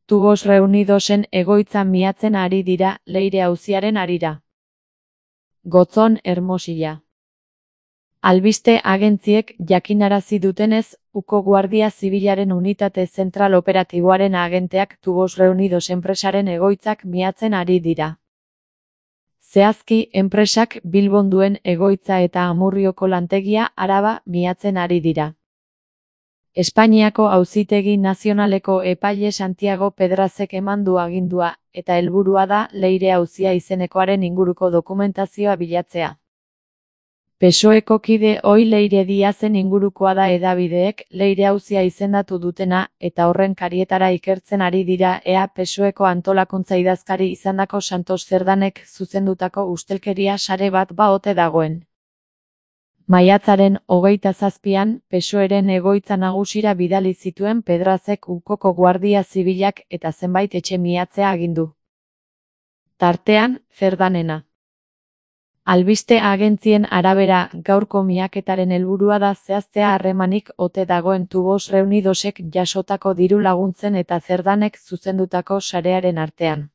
Tubos Reunidosen egoitza miatzen ari dira Leire auziaren harira. Gotzon, Hermosilla. Albiste agentziek jakinarazi dutenez, Uko Guardia Zibilaren unitate zentral operatiboaren agenteak Tubos Reunidos enpresaren egoitzak miatzen ari dira. Zehazki, enpresak Bilbon duen egoitza eta Amurrioko lantegia Araba miatzen ari dira. Espainiako Auzitegi Nazionaleko epaile Santiago Pedrazek eman du agindua, eta helburua da Leire auzia izenekoaren inguruko dokumentazioa bilatzea. PSOEko kide ohi Leire Diazen ingurukoa da hedabideek Leire auzia izendatu dutena, eta horren karietara ikertzen ari dira ea PSOEko antolakuntza idazkari izandako Santos Zerdanek zuzendutako ustelkeria sare bat ote dagoen. Maiatzaren 27an, PSOEren egoitza nagusira bidali zituen Pedrazek Ukoko Guardia Zibilak eta zenbait etxe miatzea agindu. Tartean, Zerdanena. Albiste agentzien arabera, gaurko miaketaren helburua da zehaztea harremanik ote dagoen Tubos Reunidosek jasotako diru laguntzen eta Zerdanek zuzendutako sarearen artean.